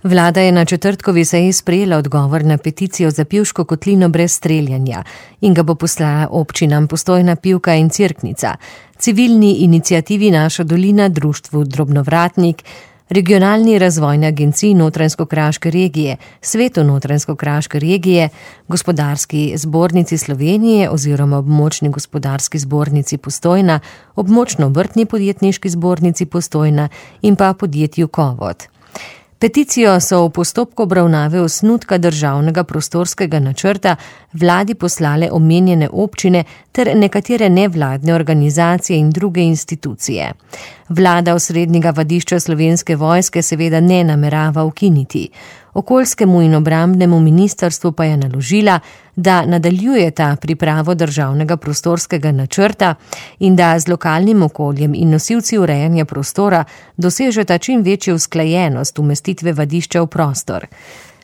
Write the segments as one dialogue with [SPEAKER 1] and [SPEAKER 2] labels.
[SPEAKER 1] Vlada je na četrtkovi seji sprejela odgovor na peticijo za Pivško kotlino brez streljanja in ga bo poslala občinam Postojna, Pivka in Cerknica, civilni iniciativi Naša dolina, društvu Drobnovratnik, Regionalni razvojni agenciji Notranjsko-kraške regije, Svetu Notranjsko-kraške regije, Gospodarski zbornici Slovenije oziroma Območni gospodarski zbornici Postojna, Območno-obrtni podjetniški zbornici Postojna in pa podjetju Kovod. Peticijo so v postopku obravnave osnutka državnega prostorskega načrta vladi poslale omenjene občine ter nekatere nevladne organizacije in druge institucije. Vlada osrednjega vadišča Slovenske vojske seveda ne namerava ukiniti. Okoljskemu in obrambnemu ministrstvu pa je naložila, da nadaljujeta pripravo državnega prostorskega načrta in da z lokalnim okoljem in nosilci urejanja prostora dosežeta čim večjo usklajenost umestitve vadišča v prostor.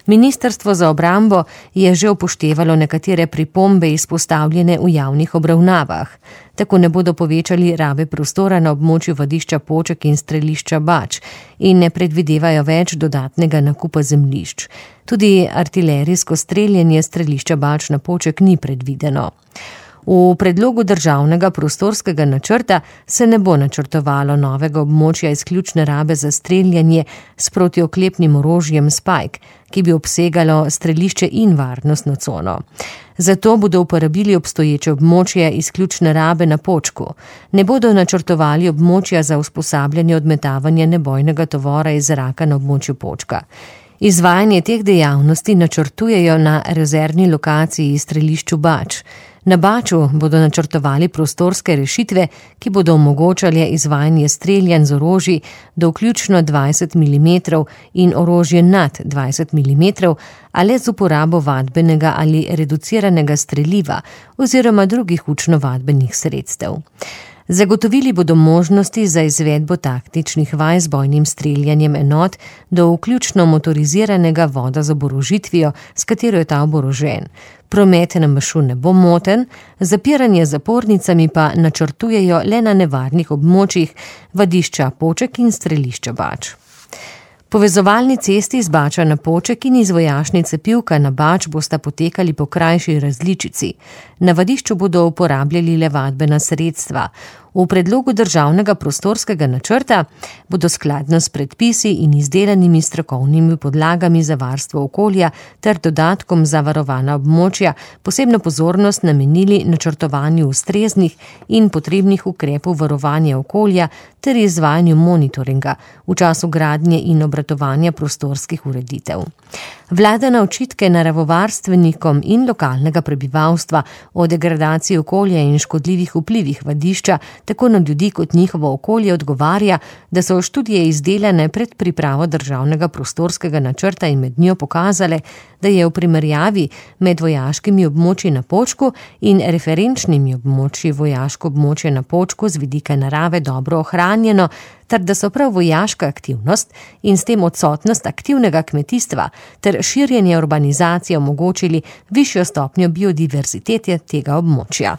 [SPEAKER 1] Ministrstvo za obrambo je že upoštevalo nekatere pripombe izpostavljene v javnih obravnavah. Tako ne bodo povečali rabe prostora na območju vadišča Poček in strelišča Bač in ne predvidevajo več dodatnega nakupa zemljišč. Tudi artilerijsko streljanje strelišča Bač na Poček ni predvideno. V predlogu državnega prostorskega načrta se ne bo načrtovalo novega območja izključne rabe za streljanje s protioklepnim orožjem Spike, ki bi obsegalo strelišče in varnostno cono. Zato bodo uporabili obstoječe območje izključne rabe na Počku. Ne bodo načrtovali območja za usposabljanje odmetavanja nebojnega tovora iz zraka na območju Počka. Izvajanje teh dejavnosti načrtujejo na rezervni lokaciji strelišču Bač. Na Baču bodo načrtovali prostorske rešitve, ki bodo omogočale izvajanje streljanj z orožji do vključno 20 mm in orožje nad 20 mm, ali z uporabo vadbenega ali reduciranega streliva oziroma drugih učno-vadbenih sredstev. Zagotovili bodo možnosti za izvedbo taktičnih vaj z bojnim streljanjem enot do vključno motoriziranega voda z oborožitvijo, s katero je ta oborožen. Promet na Mašu ne bo moten, zapiranje z zapornicami pa načrtujejo le na nevarnih območjih vadišča Poček in strelišča Bač. Povezovalni cesti z Bača na Poček in iz vojašnice Pivka na Bač bosta potekali po krajši različici. Na vadišču bodo uporabljali le vadbena sredstva. V predlogu državnega prostorskega načrta bodo skladno s predpisi in izdelanimi strokovnimi podlagami za varstvo okolja ter dodatkom za varovana območja posebno pozornost namenili načrtovanju ustreznih in potrebnih ukrepov varovanja okolja ter izvajanju monitoringa v času gradnje in obratovanja prostorskih ureditev. Vlada na očitke naravovarstvenikom in lokalnega prebivalstva o degradaciji okolja in škodljivih vplivih vadišča tako na ljudi kot njihovo okolje odgovarja, da so študije izdelane pred pripravo državnega prostorskega načrta in med njo pokazale, da je v primerjavi med vojaškimi območji na Počku in referenčnimi območji vojaško območje na Počku z vidika narave dobro ohranjeno, ter da so prav vojaška aktivnost in s tem odsotnost aktivnega kmetijstva ter širjenje urbanizacije omogočili višjo stopnjo biodiverzitete tega območja.